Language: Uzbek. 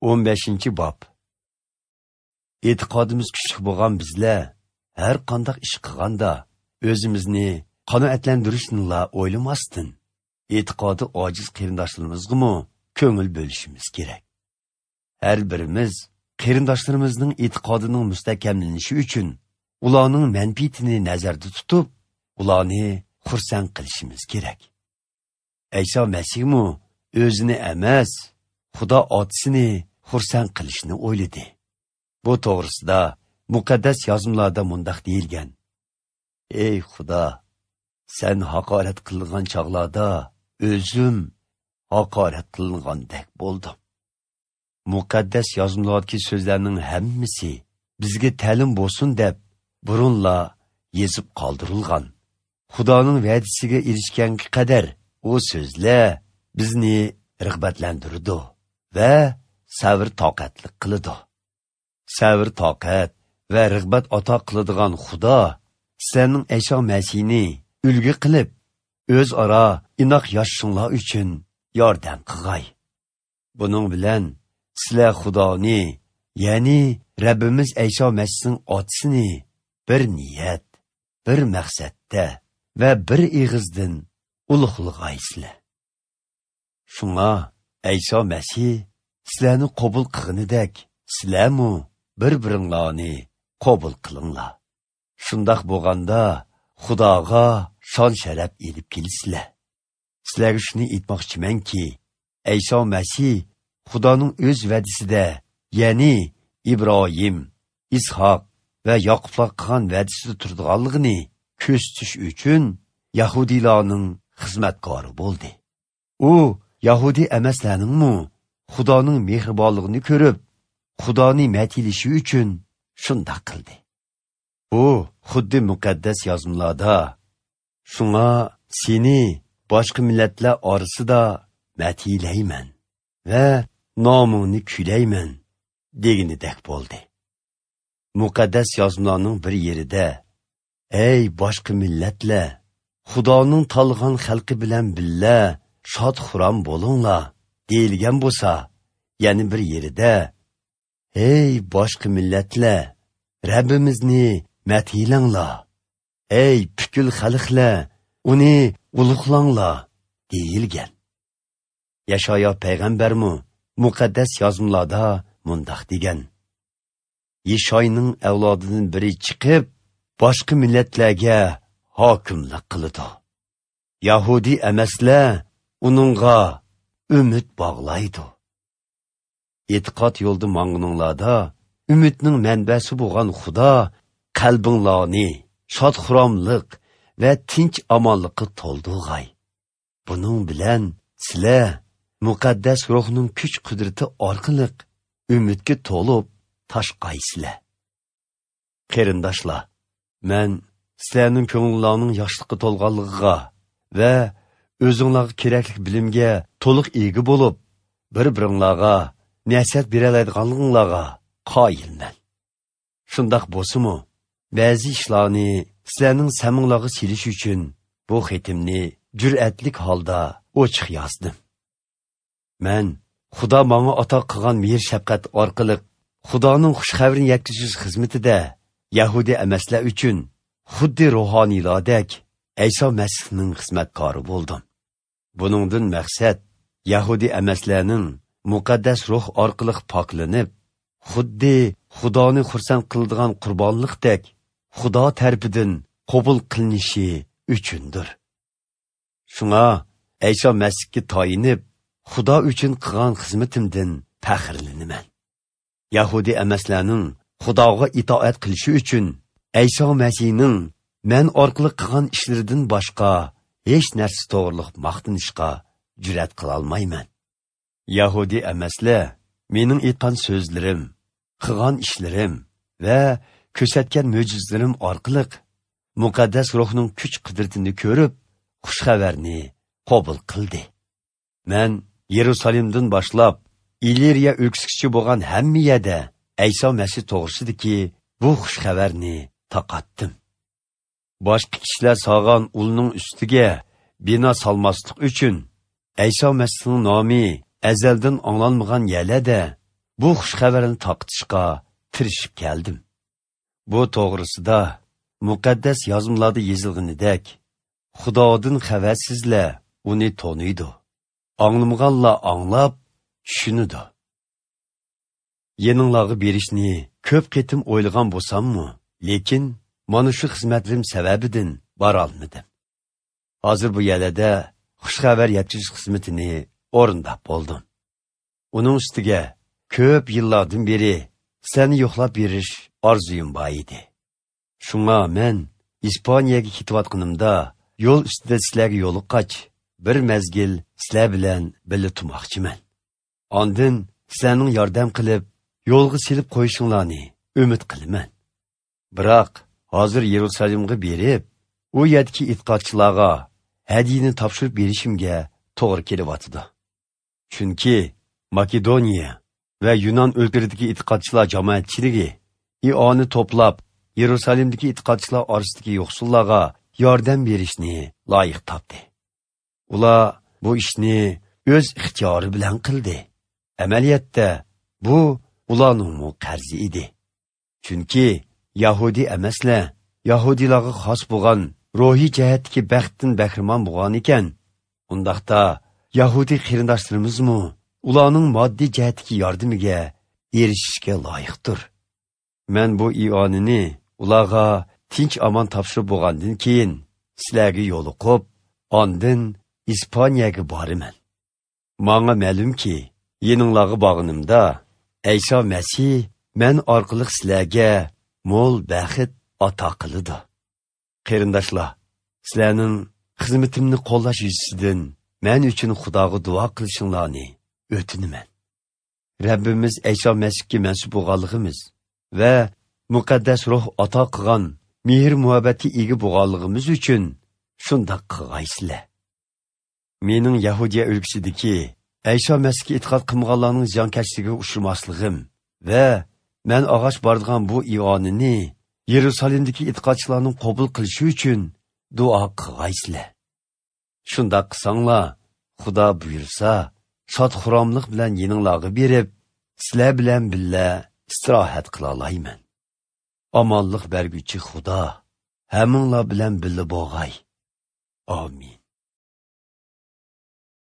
15-bob. E'tiqodimiz kuchli bo'lgan bizlar har qanday ish qilganda o'zimizni qanoatlantirishni o'ylamasdan, e'tiqodi ojiz qarindoshlarimizga ko'ngil bo'lishimiz kerak. Har birimiz qarindoshlarimizning e'tiqodining mustahkamlanishi uchun ularning manfaatini nazarda tutib, ularni xursand qilishimiz kerak. Ayso Masihmi o'zini emas, Xudo otasini xursand qilishni o'yladi. Bu to'g'risida muqaddas yozmalarda mundaq deyilgan: Ey Xudo, sen haqorat qilingan chog'larda o'zim haqorat qilingandek bo'ldim. Muqaddas yozmalardagi so'zlarning hammasi bizga ta'lim bo'lsin deb burunla yezib qoldirilgan. Xudoning va'dasiga erishganga qadar o so'zlar bizni rag'batlantiradi va sabr toqatlik qiladi. Sabr toqat va rag'bat ato qiladigan Xudo sizlarning Ayso Masihni ulgu qilib, o'zaro inoq yashashinglar uchun yordam qilg'ay. Buning bilan sizlar Xudoni, ya'ni Rabbimiz Ayso Masihning otasini bir niyat, bir maqsadda va bir ig'izdan ulug'lag'aysizlar. Shunga Ayso Masih sizlarni qabul qilganidek, sizlarmu bir-biringlarni qabul qilinglar. Shundoq bo'lganda Xudoga shon sharaf elib kelasizlar. Sizlarga shuni aytmoqchimanki, Ayso Masih Xudoning o'z va'dasida, ya'ni Ibrohim, Ishoq va Yoqublar qilgan va'dasida turadiganligini ko'rsatish uchun yahudiylarning xizmatkori bo'ldi. U yahudi emaslarningmi Xudoning mehribonligini ko'rib, Xudoni matilishi uchun shundoq qildi. Bu xuddi muqaddas yozmalarda, shunga seni boshqa millatlar orasida matilayman va nomingni kuylayman deganidek bo'ldi. Muqaddas yozmalarning bir yerida, ey boshqa millatlar, Xudoning tanlagan xalqi bilan billa shod xuram bo'linglar deyilgan bo'lsa, yana bir yerida, ey boshqa millatlar, Rabbimizni mathilanglar, ey pukul xalqlar, uni ulug'langlar deyilgan. Yashayo payg'ambarmi muqaddas yozmalarda mundoq degan: Yeshoyning avlodidan biri chiqib, boshqa millatlarga hokimlik qiladi. Yahudi emaslar uningga umid bog'laydi. E'tiqod yo'lida mangininglarda umidning manbasi bo'lgan Xudo qalbinglarni shod-xuromlik va tinch omonlikqa to'ldirg'ay. Buning bilan sizlar muqaddas ruhning kuch qudrati orqali umidga to'lib toshqaysizlar. Qarindoshlar, men sizlarning ko'ngillarning yoshlikqa to'lganligiga va o'zinglarga kerakli bilimga to'liq ega bo'lib, bir-biringlarga nasihat bera oladiganliginglarga qoyilman. Shundoq bo'lsa-mu, ba'zi ishlarni sizlarning saminglarga selish uchun bu xatimni jur'atlik holda ochiq yozdim. Men Xudo menga ato qilgan mehr shafqat orqali Xudoning xush xabarini yetkazish xizmatida yahudi emaslar uchun xuddi ruhoniylardek Ayso Masihning xizmatkori bo'ldim. Buningdan maqsad yahudi emaslarning muqaddas ruh orqali poklanib, xuddi Xudoni xursand qiladigan qurbonliqdek Xudo tarafidan qabul qilinishi uchundir. Shunga Ayso Masihga tayinib, Xudo uchun qilgan xizmatimdan faxrlanaman. Yahudi emaslarning Xudoga itoat qilishi uchun Ayso Masihning men orqali qilgan ishlaridan boshqa hech narsa to'g'riliq maqtanishga jur'at qila olmayman. Yahudi emaslar mening aytgan so'zlarim, qilgan ishlarim va ko'rsatgan mo'jizalarim orqali muqaddas ruhning kuch qudratini ko'rib, xush xabarni qabul qildi. Men Yerusalimdan boshlab Iliriya o'lkasigacha bo'lgan hamma yerda Ayso Masih to'g'risidagi bu xush xabarni tarqatdim. Boshqa kishilar solgan ulning ustiga bino solmaslik uchun Ayso Masihning nomi azaldan anglanmagan yerlarda bu xush xabarni tarqatishga tirishib keldim. Bu to'g'risida muqaddas yozmalarda yozilganidek, Xudodan xabarsizlar uni taniydi, anglamaganlar anglab tushunadi. Yeninglarga berishni ko'p qitim o'ylagan bo'lsammi, lekin mana shu xizmatlarim sababidan borolmadim. Hozir bu yerda xush xabar yetkazish xizmatini o'rindab bo'ldim. Uning ustiga ko'p yillardan beri sizlarni yo'qlab berish orzuyim bor edi. Shunga men İspaniyaga ketayotganimda yo'l ustida sizlarga yo'liqqach, bir mezgil sizlar bilan birga turmoqchiman. Ondin sizlarning yordam qilib, yo'lga silib qo'yishinglarni umid qilaman. Biroq hozir Yerusalimga berib, u yerdagi e'tiqodchilarga hadiyani topshirib berishimga to'g'ri kelyotidi. Chunki Makedoniya va Yunon o'lkasidagi e'tiqodchilar jamoatchiligi ioni to'plab, Yerusalimdagi e'tiqodchilar orasidagi yo'qsullarga yordam berishni loyiq topdi. Ular bu ishni o'z ixtiyori bilan qildi. Amaliyotda bu ularning qarzi edi. Chunki Yahudi emaslar Yahudilarga xos bo'lgan ruhiy jihatdagi baxtdan bahramon bo'lgan ekan. Undaqda Yahudi qarindoshlarimizmi ularning moddiy jihatdagi yordamiga erishishga loyiqdir. Men bu ionini ularga tinch omon topshirib bo'lgandan keyin sizlarga yo'liqib, ondin İspaniyaga boraman. Manga ma'lumki, yeninglarga borganimda Ayso Masih men orqali sizlarga mo'l baxt ato qiladi. Qarindoshlar, sizlarning xizmatimni qo'llash yuzasidan men uchun Xudoga duo qilishinglarni o'tinaman. Rabbimiz Ayso Masihga mansub bo'lganligimiz va muqaddas ruh ato qilgan mehr muhabbatga ega bo'lganligimiz uchun shundoq qilgaysizlar. Mening Yahudiya o'lkasidagi Ayso Masihga e'tiqod qilmaganlarning ziyonkashligiga uchramasligim va men og'och boradigan bu ionini Yerusalimdagi e'tiqodchilarning qabul qilishi uchun duo qilgaysizlar. Shundoq qilsanglar, Xudo buyursa, shod xuromlik bilan yeninglarga berib, sizlar bilan birga istirohat qila olayman. Omonlik berguchi Xudo hammanglar bilan birga bo'lg'ay. Amin.